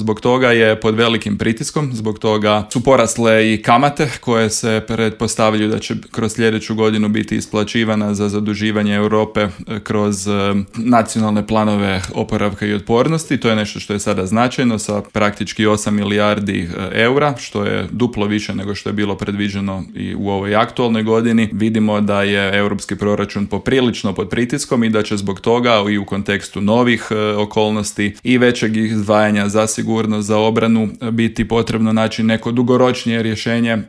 Zbog toga je pod velikim pritiskom, zbog toga su porasle i kamate koje se pretpostavljaju da će kroz sljedeću godinu biti isplaćivana za zaduživanje Europe kroz nacionalne planove oporavka i otpornosti. To je nešto što je sada značajno sa praktički 8 milijardi eura, što je duplo više nego što je bilo predviđeno i u ovoj aktualnoj godini. Vidimo da je europski proračun poprilično pod pritiskom i da će zbog toga i u kontekstu novih okolnosti i većeg izdvajanja za sigurnost, za obranu biti potrebno naći neko dugoročnije rješenje